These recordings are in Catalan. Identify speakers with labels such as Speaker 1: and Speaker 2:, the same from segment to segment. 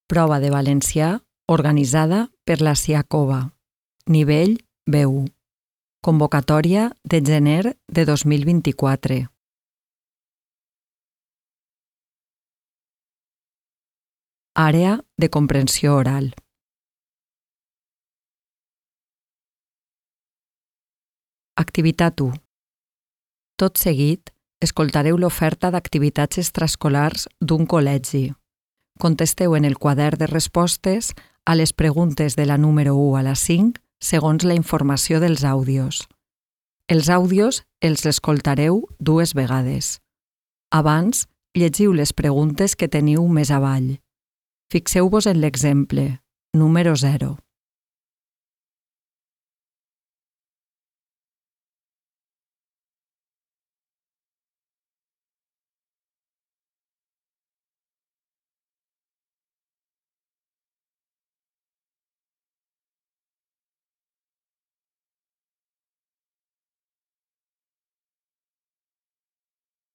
Speaker 1: Prova de valencià organitzada per la Siacova. Nivell B1. Convocatòria de gener de 2024. Àrea de comprensió oral. Activitat 1. Tot seguit, escoltareu l'oferta d'activitats extraescolars d'un col·legi. Contesteu en el quadern de respostes a les preguntes de la número 1 a la 5 segons la informació dels àudios. Els àudios els escoltareu 2 vegades. Abans, llegiu les preguntes que teniu més avall. Fixeu-vos en l'exemple, número 0.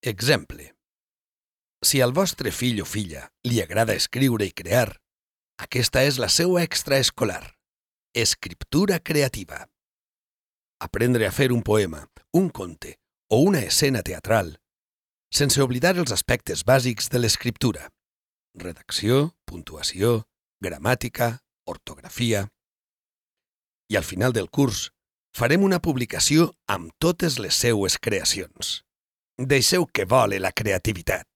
Speaker 2: Exemple. Si al vostre fill o filla li agrada escriure i crear, aquesta és la seua extraescolar. Escriptura creativa. Aprendre a fer un poema, un conte o una escena teatral, sense oblidar els aspectes bàsics de l'escriptura. Redacció, puntuació, gramàtica, ortografia. I al final del curs farem una publicació amb totes les seues creacions. Deixeu que vole la creativitat.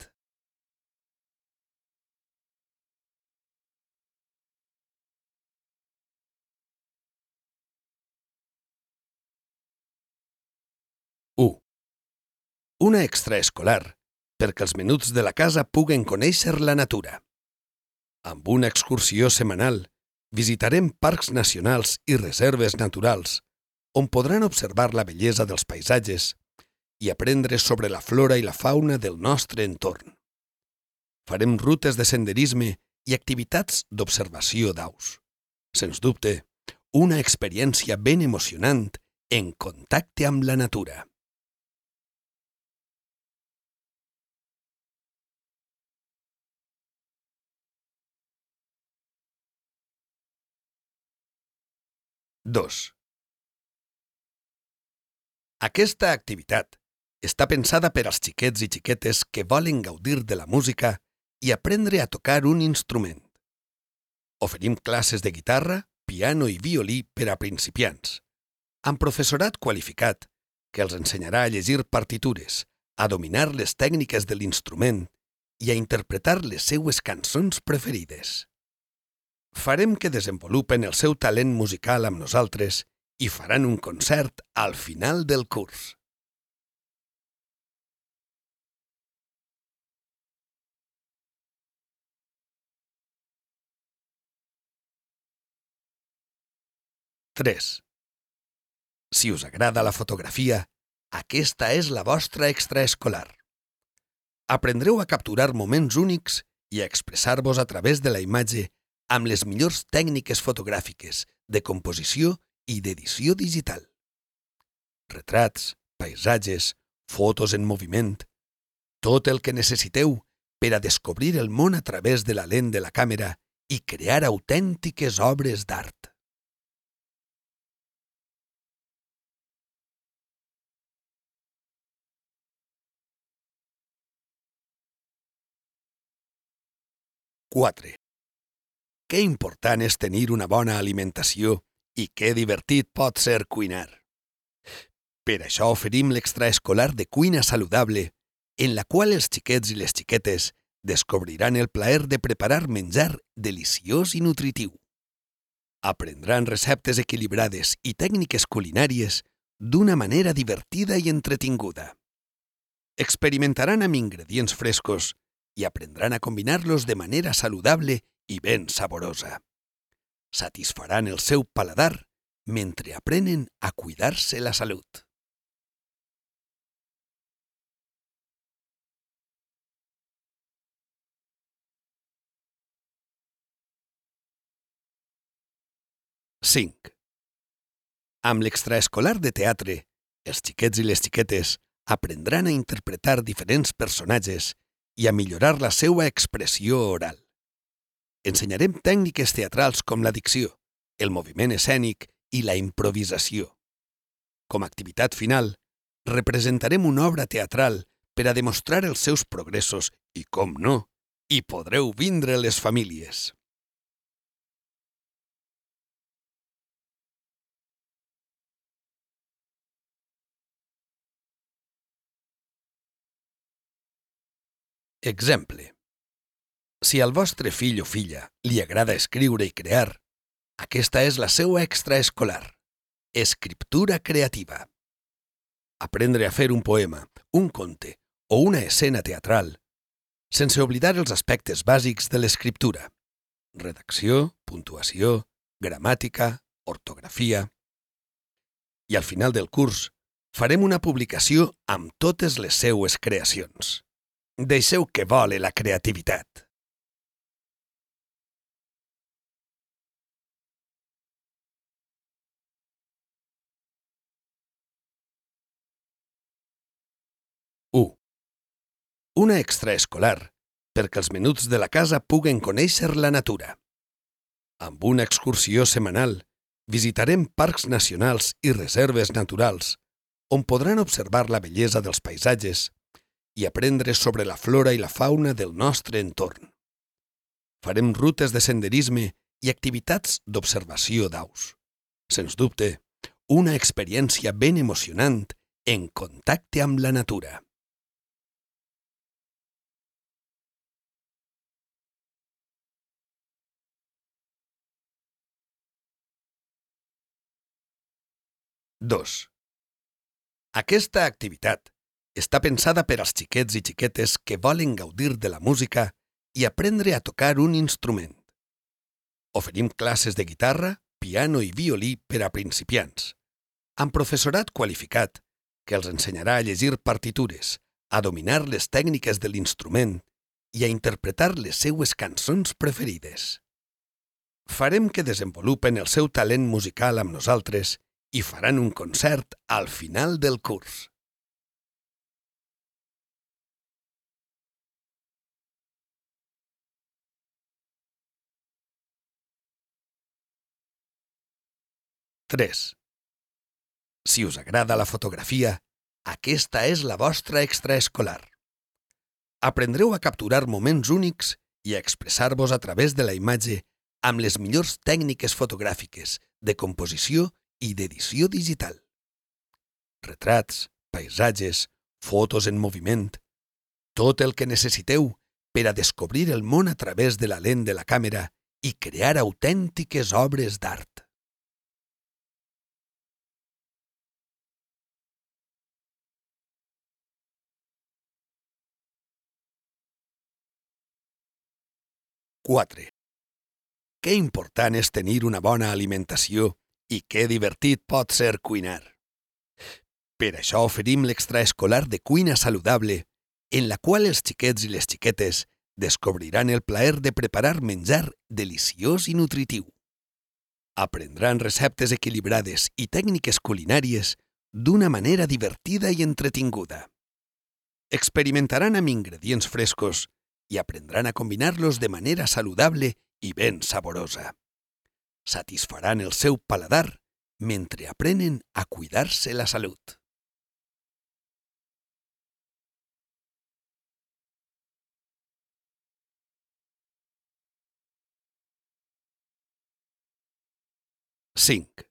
Speaker 2: Una extraescolar perquè els menuts de la casa puguen conèixer la natura. Amb una excursió setmanal visitarem parcs nacionals i reserves naturals on podran observar la bellesa dels paisatges i aprendre sobre la flora i la fauna del nostre entorn. Farem rutes de senderisme i activitats d'observació d'aus. Sens dubte, una experiència ben emocionant en contacte amb la natura. Aquesta activitat està pensada per als xiquets i xiquetes que volen gaudir de la música i aprendre a tocar un instrument. Oferim classes de guitarra, piano i violí per a principiants, amb professorat qualificat que els ensenyarà a llegir partitures, a dominar les tècniques de l'instrument i a interpretar les seues cançons preferides. Farem que desenvolupen el seu talent musical amb nosaltres i faran un concert al final del curs. Si us agrada la fotografia, aquesta és la vostra extraescolar. Aprendreu a capturar moments únics i a expressar-vos a través de la imatge amb les millors tècniques fotogràfiques, de composició i d'edició digital. Retrats, paisatges, fotos en moviment, tot el que necessiteu per a descobrir el món a través de la lent de la càmera i crear autèntiques obres d'art. Que important és tenir una bona alimentació i que divertit pot ser cuinar. Per això oferim l'extraescolar de cuina saludable, en la qual els xiquets i les xiquetes descobriran el plaer de preparar menjar deliciós i nutritiu. Aprendran receptes equilibrades i tècniques culinàries d'una manera divertida i entretinguda. Experimentaran amb ingredients frescos i aprendran a combinar-los de manera saludable i ben saborosa. Satisfaran el seu paladar mentre aprenen a cuidar-se la salut. Amb l'extraescolar de teatre, els xiquets i les xiquetes aprendran a interpretar diferents personatges i a millorar la seva expressió oral. Ensenyarem tècniques teatrals com la dicció, el moviment escènic i la improvisació. Com a activitat final, representarem una obra teatral per a demostrar els seus progressos i, com no, hi podreu vindre les famílies. Exemple. Si al vostre fill o filla li agrada escriure i crear, aquesta és la seva extraescolar, escriptura creativa. Aprendre a fer un poema, un conte o una escena teatral, sense oblidar els aspectes bàsics de l'escriptura: redacció, puntuació, gramàtica, ortografia. I al final del curs farem una publicació amb totes les seues creacions. Deixeu que vole la creativitat. Una extraescolar perquè els menuts de la casa puguen conèixer la natura. Amb una excursió setmanal visitarem parcs nacionals i reserves naturals on podran observar la bellesa dels paisatges i aprendre sobre la flora i la fauna del nostre entorn. Farem rutes de senderisme i activitats d'observació d'aus. Sens dubte, una experiència ben emocionant en contacte amb la natura. Dos. Aquesta activitat està pensada per als xiquets i xiquetes que volen gaudir de la música i aprendre a tocar un instrument. Oferim classes de guitarra, piano i violí per a principiants, amb professorat qualificat que els ensenyarà a llegir partitures, a dominar les tècniques de l'instrument i a interpretar les seues cançons preferides. Farem que desenvolupen el seu talent musical amb nosaltres i faran un concert al final del curs. Tres. Si us agrada la fotografia, aquesta és la vostra extraescolar. Aprendreu a capturar moments únics i a expressar-vos a través de la imatge amb les millors tècniques fotogràfiques, de composició i d'edició digital. Retrats, paisatges, fotos en moviment, tot el que necessiteu per a descobrir el món a través de la lent de la càmera i crear autèntiques obres d'art. Quatre. Que important és tenir una bona alimentació i que divertit pot ser cuinar. Per això oferim l'extraescolar de cuina saludable, en la qual els xiquets i les xiquetes descobriran el plaer de preparar menjar deliciós i nutritiu. Aprendran receptes equilibrades i tècniques culinàries d'una manera divertida i entretinguda. Experimentaran amb ingredients frescos i aprendran a combinar-los de manera saludable i ben saborosa. Satisfaran el seu paladar mentre aprenen a cuidar-se la salut. Cinc.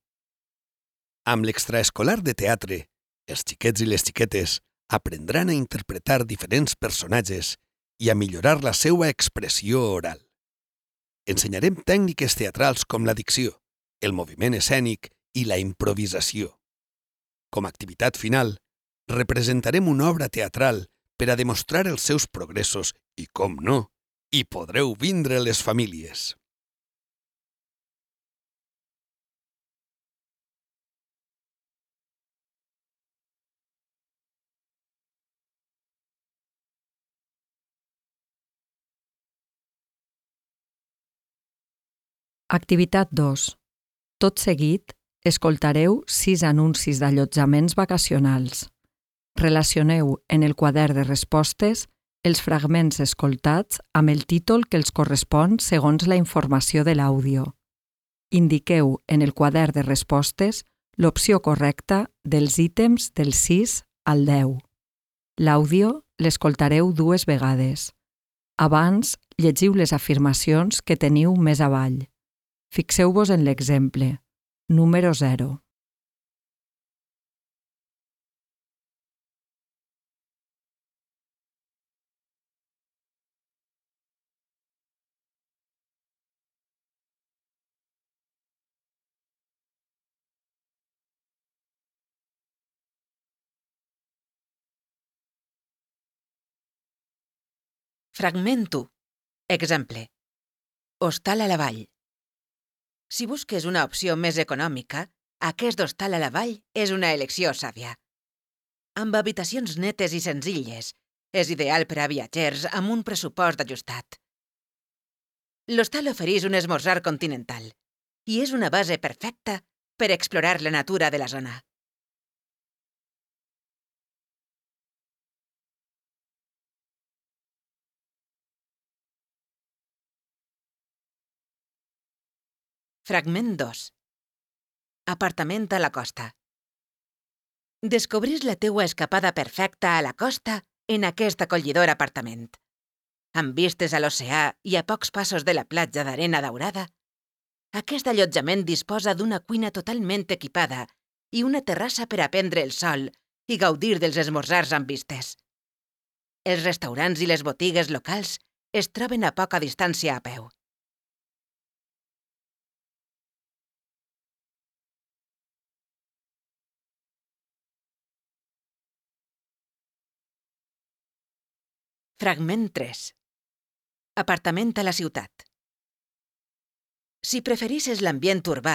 Speaker 2: Amb l'extraescolar de teatre, els xiquets i les xiquetes aprendran a interpretar diferents personatges i a millorar la seva expressió oral. Ensenyarem tècniques teatrals com la dicció, el moviment escènic i la improvisació. Com a activitat final, representarem una obra teatral per a demostrar els seus progressos i, com no, hi podreu vindre les famílies.
Speaker 1: Activitat 2. Tot seguit, escoltareu 6 anuncis d'allotjaments vacacionals. Relacioneu en el quadern de respostes els fragments escoltats amb el títol que els correspon segons la informació de l'àudio. Indiqueu en el quadern de respostes l'opció correcta dels ítems del 6 al 10. L'àudio l'escoltareu 2 vegades. Abans, llegiu les afirmacions que teniu més avall. Fixeu-vos en l'exemple. Número 0.
Speaker 3: Fragment 1. Exemple. Hostal a la vall. Si busques una opció més econòmica, aquest hostal a la vall és una elecció sàvia. Amb habitacions netes i senzilles, és ideal per a viatgers amb un pressupost ajustat. L'hostal ofereix un esmorzar continental i és una base perfecta per explorar la natura de la zona. Fragment 2. Apartament a la costa. Descobrís la teua escapada perfecta a la costa en aquest acollidor apartament. Amb vistes a l'oceà i a pocs passos de la platja d'arena daurada, aquest allotjament disposa d'una cuina totalment equipada i una terrassa per a prendre el sol i gaudir dels esmorzars amb vistes. Els restaurants i les botigues locals es troben a poca distància a peu. Fragment 3. Apartament a la ciutat. Si preferisses l'ambient urbà,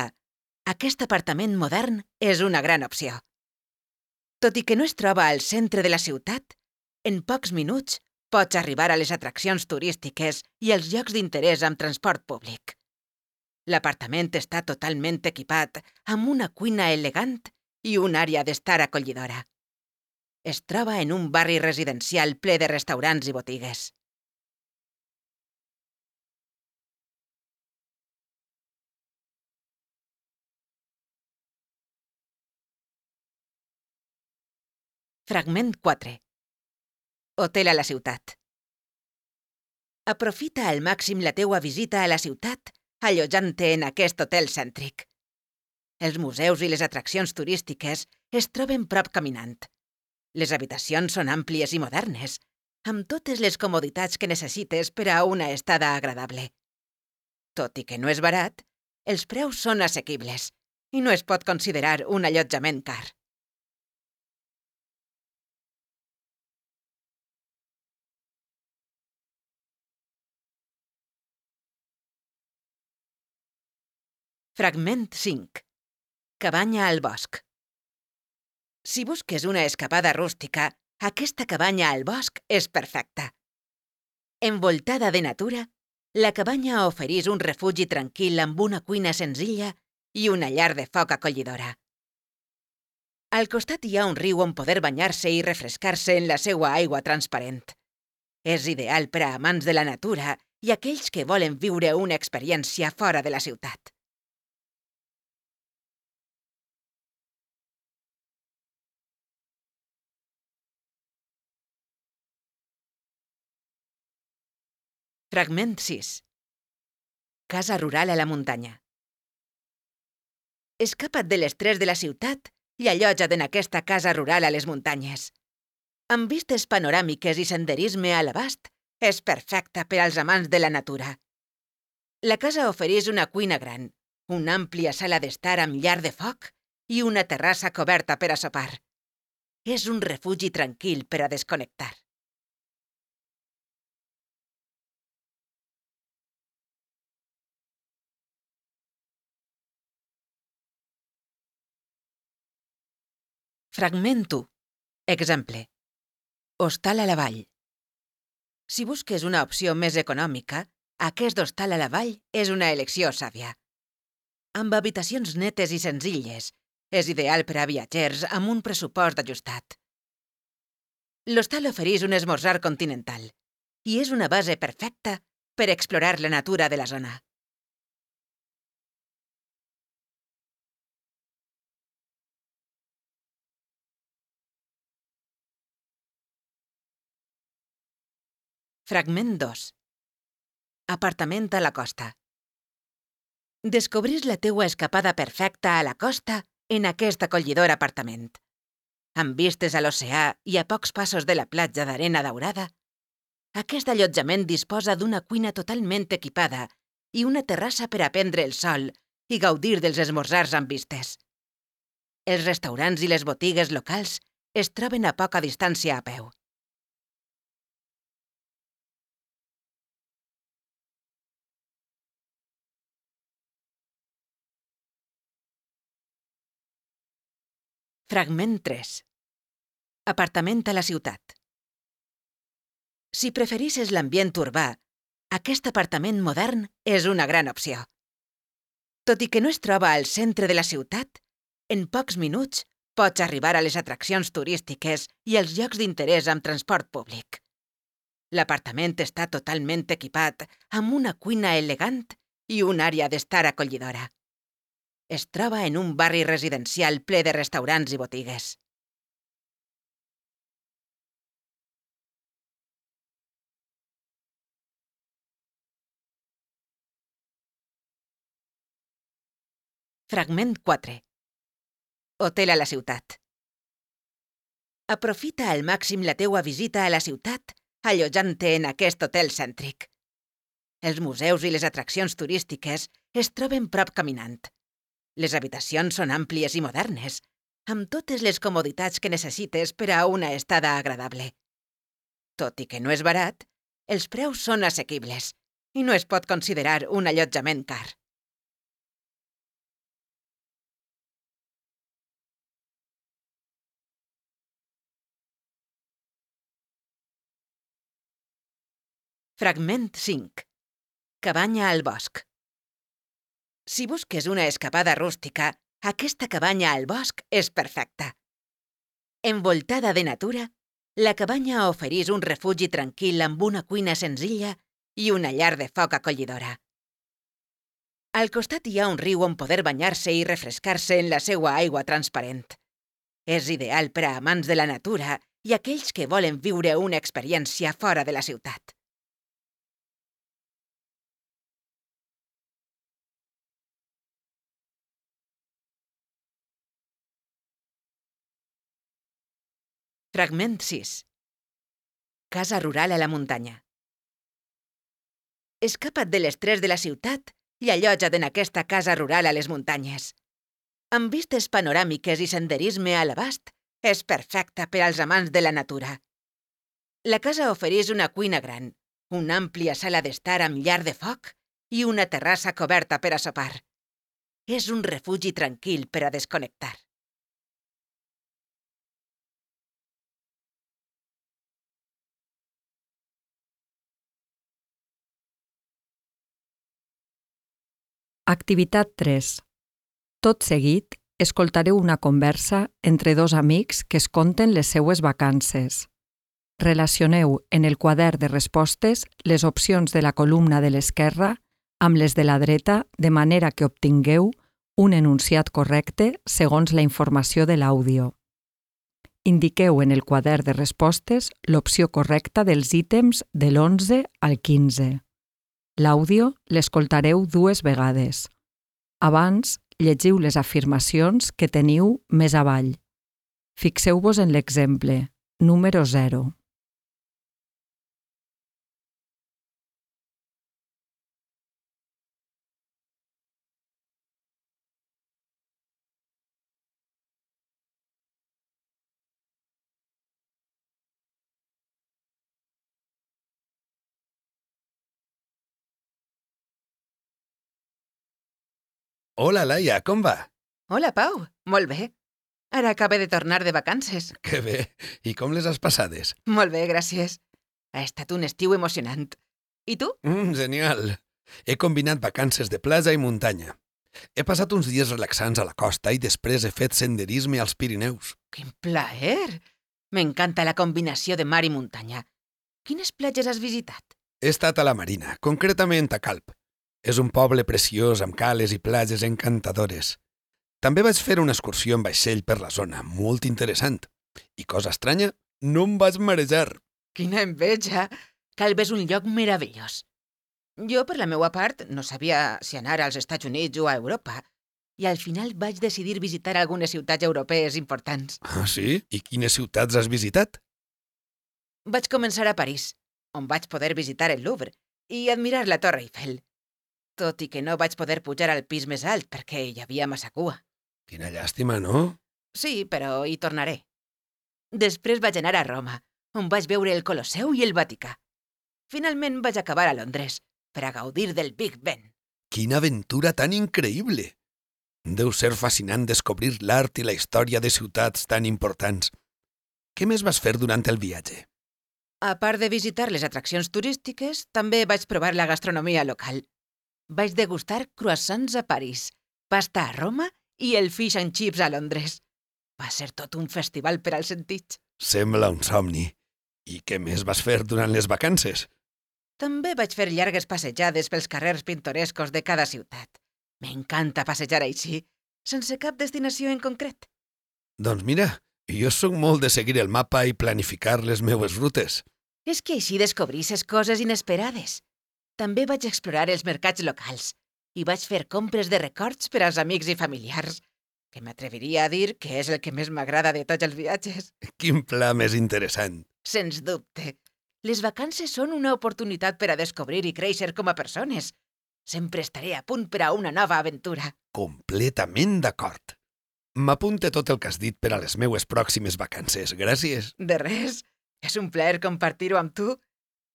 Speaker 3: aquest apartament modern és una gran opció. Tot i que no es troba al centre de la ciutat, en pocs minuts pots arribar a les atraccions turístiques i als llocs d'interès amb transport públic. L'apartament està totalment equipat amb una cuina elegant i una àrea d'estar acollidora. Es troba en un barri residencial ple de restaurants i botigues. Fragment 4. Hotel a la ciutat. Aprofita al màxim la teua visita a la ciutat allotjant-te en aquest hotel cèntric. Els museus i les atraccions turístiques es troben prop caminant. Les habitacions són àmplies i modernes, amb totes les comoditats que necessites per a una estada agradable. Tot i que no és barat, els preus són assequibles i no es pot considerar un allotjament car. Fragment 5. Cabanya al bosc. Si busques una escapada rústica, aquesta cabanya al bosc és perfecta. Envoltada de natura, la cabanya ofereix un refugi tranquil amb una cuina senzilla i una llar de foc acollidora. Al costat hi ha un riu on poder banyar-se i refrescar-se en la seua aigua transparent. És ideal per a amants de la natura i aquells que volen viure una experiència fora de la ciutat. Fragment 6. Casa rural a la muntanya. Escapa't de l'estrès de la ciutat i allotja't en aquesta casa rural a les muntanyes. Amb vistes panoràmiques i senderisme a l'abast, és perfecta per als amants de la natura. La casa ofereix una cuina gran, una àmplia sala d'estar amb llar de foc i una terrassa coberta per a sopar. És un refugi tranquil per a desconnectar. Fragment 1. Exemple. Hostal a la vall. Si busques una opció més econòmica, aquest hostal a la vall és una elecció sàvia. Amb habitacions netes i senzilles, és ideal per a viatgers amb un pressupost ajustat. L'hostal ofereix un esmorzar continental i és una base perfecta per explorar la natura de la zona. Fragment 2. Apartament a la costa. Descobrís la teua escapada perfecta a la costa en aquest acollidor apartament. Amb vistes a l'oceà i a pocs passos de la platja d'arena daurada, aquest allotjament disposa d'una cuina totalment equipada i una terrassa per a prendre el sol i gaudir dels esmorzars amb vistes. Els restaurants i les botigues locals es troben a poca distància a peu. Fragment 3. Apartament a la ciutat. Si preferisses l'ambient urbà, aquest apartament modern és una gran opció. Tot i que no es troba al centre de la ciutat, en pocs minuts pots arribar a les atraccions turístiques i als llocs d'interès amb transport públic. L'apartament està totalment equipat amb una cuina elegant i una àrea d'estar acollidora. Es troba en un barri residencial ple de restaurants i botigues. Fragment 4. Hotel a la ciutat. Aprofita al màxim la teua visita a la ciutat allotjant-te en aquest hotel cèntric. Els museus i les atraccions turístiques es troben prop caminant. Les habitacions són àmplies i modernes, amb totes les comoditats que necessites per a una estada agradable. Tot i que no és barat, els preus són assequibles i no es pot considerar un allotjament car. Fragment 5. Cabanya al bosc. Si busques una escapada rústica, aquesta cabanya al bosc és perfecta. Envoltada de natura, la cabanya oferís un refugi tranquil amb una cuina senzilla i una llar de foc acollidora. Al costat hi ha un riu on poder banyar-se i refrescar-se en la seua aigua transparent. És ideal per a amants de la natura i aquells que volen viure una experiència fora de la ciutat. Fragment 6. Casa rural a la muntanya. Escapa't de l'estrès de la ciutat i allotja't en aquesta casa rural a les muntanyes. Amb vistes panoràmiques i senderisme a l'abast, és perfecta per als amants de la natura. La casa ofereix una cuina gran, una àmplia sala d'estar amb llar de foc i una terrassa coberta per a sopar. És un refugi tranquil per a desconnectar.
Speaker 1: Activitat 3. Tot seguit, escoltareu una conversa entre dos amics que es conten les seues vacances. Relacioneu en el quadern de respostes les opcions de la columna de l'esquerra amb les de la dreta de manera que obtingueu un enunciat correcte segons la informació de l'àudio. Indiqueu en el quadern de respostes l'opció correcta dels ítems de l'11 al 15. L'àudio l'escoltareu 2 vegades. Abans, llegiu les afirmacions que teniu més avall. Fixeu-vos en l'exemple, número 0.
Speaker 2: Hola, Laia, com va?
Speaker 3: Hola, Pau. Molt bé. Ara acabo de tornar de vacances.
Speaker 2: Que bé. I com les has passades?
Speaker 3: Molt bé, gràcies. Ha estat un estiu emocionant. I tu?
Speaker 2: Genial. He combinat vacances de platja i muntanya. He passat uns dies relaxants a la costa i després he fet senderisme als Pirineus.
Speaker 3: Quin plaer! M'encanta la combinació de mar i muntanya. Quines platges has visitat?
Speaker 2: He estat a la Marina, concretament a Calp. És un poble preciós amb cales i platges encantadores. També vaig fer una excursió en vaixell per la zona, molt interessant. I cosa estranya, no em vaig marejar.
Speaker 3: Quina enveja! Calp és un lloc meravellós. Jo, per la meua part, no sabia si anar als Estats Units o a Europa, i al final vaig decidir visitar algunes ciutats europees importants.
Speaker 2: Ah, sí? I quines ciutats has visitat?
Speaker 3: Vaig començar a París, on vaig poder visitar el Louvre i admirar la Torre Eiffel, tot i que no vaig poder pujar al pis més alt perquè hi havia massa cua.
Speaker 2: Quina llàstima, no?
Speaker 3: Sí, però hi tornaré. Després vaig anar a Roma, on vaig veure el Colosseu i el Vaticà. Finalment vaig acabar a Londres, per a gaudir del Big Ben.
Speaker 2: Quina aventura tan increïble! Deu ser fascinant descobrir l'art i la història de ciutats tan importants. Què més vas fer durant el viatge?
Speaker 3: A part de visitar les atraccions turístiques, també vaig provar la gastronomia local. Vaig degustar croissants a París, pasta a Roma i el fish and chips a Londres. Va ser tot un festival per als sentits.
Speaker 2: Sembla un somni. I què més vas fer durant les vacances?
Speaker 3: També vaig fer llargues passejades pels carrers pintorescos de cada ciutat. M'encanta passejar així, sense cap destinació en concret.
Speaker 2: Doncs mira, jo sóc molt de seguir el mapa i planificar les meues rutes.
Speaker 3: És que així descobrisses coses inesperades. També vaig explorar els mercats locals i vaig fer compres de records per als amics i familiars, que m'atreviria a dir que és el que més m'agrada de tots els viatges.
Speaker 2: Quin pla més interessant.
Speaker 3: Sens dubte. Les vacances són una oportunitat per a descobrir i créixer com a persones. Sempre estaré a punt per a una nova aventura.
Speaker 2: Completament d'acord. M'apunte tot el que has dit per a les meues pròximes vacances. Gràcies.
Speaker 3: De res. És un plaer compartir-ho amb tu.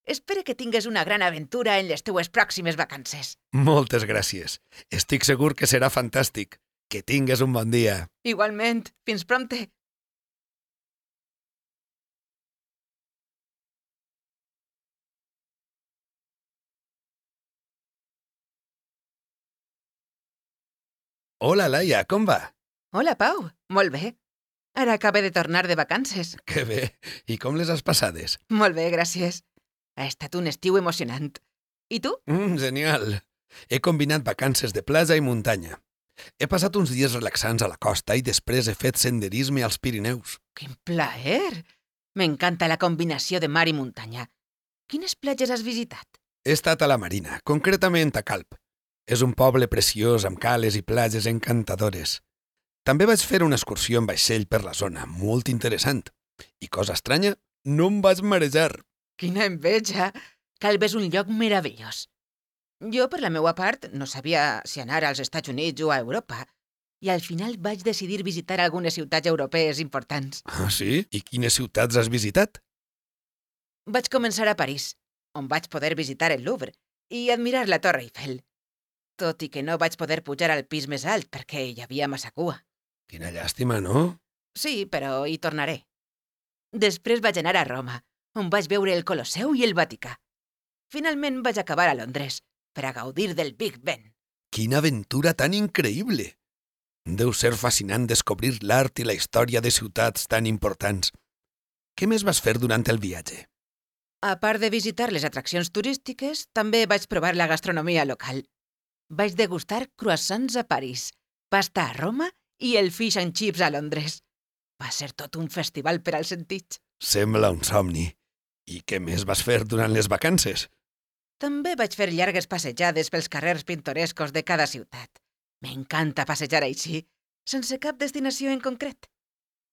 Speaker 3: Espero que tingues una gran aventura en les teues pròximes vacances.
Speaker 2: Moltes gràcies. Estic segur que serà fantàstic. Que tingues un bon dia.
Speaker 3: Igualment. Fins prompte.
Speaker 2: Hola, Laia, com va?
Speaker 3: Hola, Pau. Molt bé. Ara acabo de tornar de vacances.
Speaker 2: Que bé. I com les has passades?
Speaker 3: Molt bé, gràcies. Ha estat un estiu emocionant. I tu?
Speaker 2: Genial. He combinat vacances de platja i muntanya. He passat uns dies relaxants a la costa i després he fet senderisme als Pirineus.
Speaker 3: Quin plaer! M'encanta la combinació de mar i muntanya. Quines platges has visitat?
Speaker 2: He estat a la Marina, concretament a Calp. És un poble preciós amb cales i platges encantadores. També vaig fer una excursió en vaixell per la zona, molt interessant. I cosa estranya, no em vaig marejar.
Speaker 3: Quina enveja! Calp és un lloc meravellós. Jo, per la meua part, no sabia si anar als Estats Units o a Europa, i al final vaig decidir visitar algunes ciutats europees importants.
Speaker 2: Ah, sí? I quines ciutats has visitat?
Speaker 3: Vaig començar a París, on vaig poder visitar el Louvre i admirar la Torre Eiffel, tot i que no vaig poder pujar al pis més alt perquè hi havia massa cua.
Speaker 2: Quina llàstima, no?
Speaker 3: Sí, però hi tornaré. Després vaig anar a Roma, on vaig veure el Colosseu i el Vaticà. Finalment vaig acabar a Londres, per a gaudir del Big Ben.
Speaker 2: Quina aventura tan increïble! Deu ser fascinant descobrir l'art i la història de ciutats tan importants. Què més vas fer durant el viatge?
Speaker 3: A part de visitar les atraccions turístiques, també vaig provar la gastronomia local. Vaig degustar croissants a París, pasta a Roma i el fish and chips a Londres. Va ser tot un festival per als sentits.
Speaker 2: Sembla un somni. I què més vas fer durant les vacances?
Speaker 3: També vaig fer llargues passejades pels carrers pintorescos de cada ciutat. M'encanta passejar així, sense cap destinació en concret.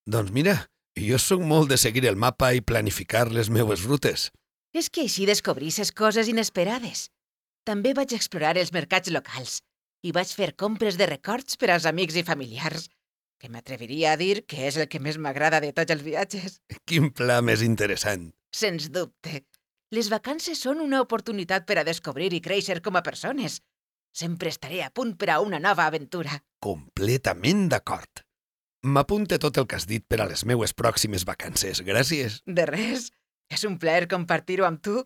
Speaker 2: Doncs mira, jo sóc molt de seguir el mapa i planificar les meues rutes.
Speaker 3: És que així descobrisses coses inesperades. També vaig explorar els mercats locals i vaig fer compres de records per als amics i familiars, que m'atreviria a dir que és el que més m'agrada de tots els viatges.
Speaker 2: Quin pla més interessant.
Speaker 3: Sens dubte. Les vacances són una oportunitat per a descobrir i créixer com a persones. Sempre estaré a punt per a una nova aventura.
Speaker 2: Completament d'acord. M'apunte tot el que has dit per a les meues pròximes vacances. Gràcies.
Speaker 3: De res. És un plaer compartir-ho amb tu.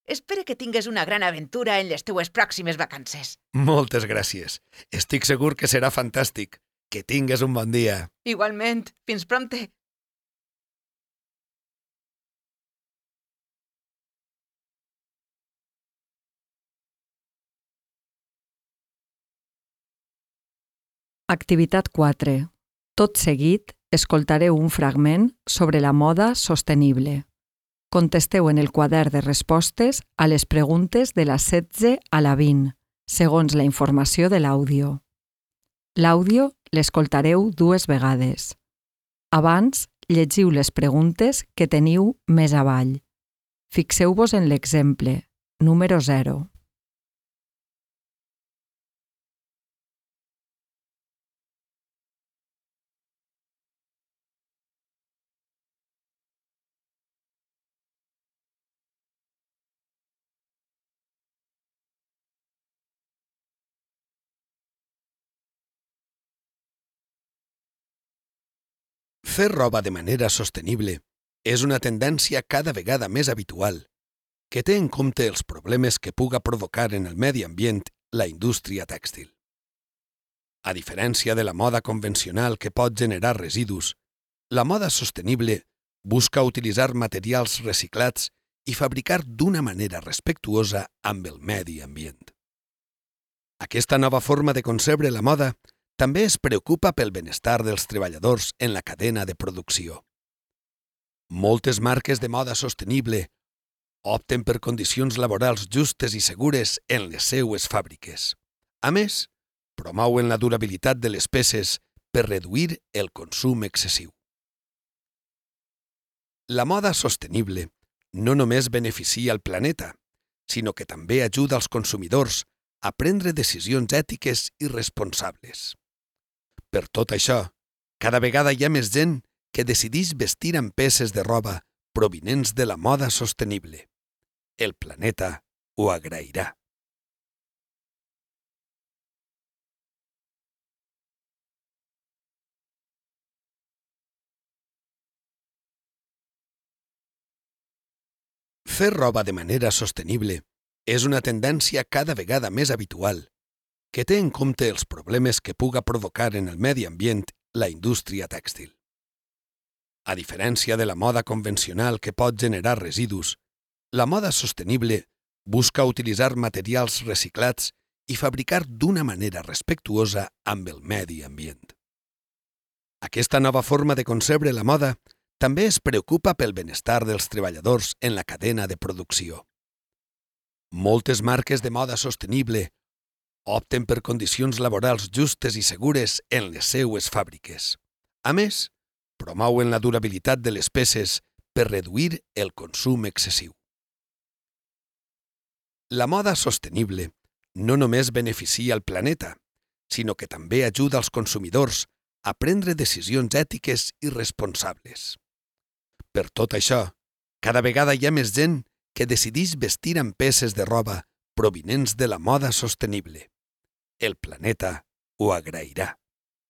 Speaker 3: Espero que tingues una gran aventura en les teues pròximes vacances.
Speaker 2: Moltes gràcies. Estic segur que serà fantàstic. Que tingues un bon dia.
Speaker 3: Igualment. Fins prompte.
Speaker 1: Activitat 4. Tot seguit, escoltareu un fragment sobre la moda sostenible. Contesteu en el quadern de respostes a les preguntes de la 16 a la 20, segons la informació de l'àudio. L'àudio l'escoltareu 2 vegades. Abans, llegiu les preguntes que teniu més avall. Fixeu-vos en l'exemple, número 0.
Speaker 2: Fer roba de manera sostenible és una tendència cada vegada més habitual que té en compte els problemes que puga provocar en el medi ambient la indústria tèxtil. A diferència de la moda convencional que pot generar residus, la moda sostenible busca utilitzar materials reciclats i fabricar d'una manera respectuosa amb el medi ambient. Aquesta nova forma de concebre la moda també es preocupa pel benestar dels treballadors en la cadena de producció. Moltes marques de moda sostenible opten per condicions laborals justes i segures en les seues fàbriques. A més, promouen la durabilitat de les peces per reduir el consum excessiu. La moda sostenible no només beneficia el planeta, sinó que també ajuda als consumidors a prendre decisions ètiques i responsables. Per tot això, cada vegada hi ha més gent que decideix vestir amb peces de roba provinents de la moda sostenible. El planeta ho agrairà. Fer roba de manera sostenible és una tendència cada vegada més habitual que té en compte els problemes que puga provocar en el medi ambient la indústria tèxtil. A diferència de la moda convencional que pot generar residus, la moda sostenible busca utilitzar materials reciclats i fabricar d'una manera respectuosa amb el medi ambient. Aquesta nova forma de concebre la moda també es preocupa pel benestar dels treballadors en la cadena de producció. Moltes marques de moda sostenible opten per condicions laborals justes i segures en les seues fàbriques. A més, promouen la durabilitat de les peces per reduir el consum excessiu. La moda sostenible no només beneficia el planeta, sinó que també ajuda als consumidors a prendre decisions ètiques i responsables. Per tot això, cada vegada hi ha més gent que decideix vestir amb peces de roba provinents de la moda sostenible. El planeta ho agrairà.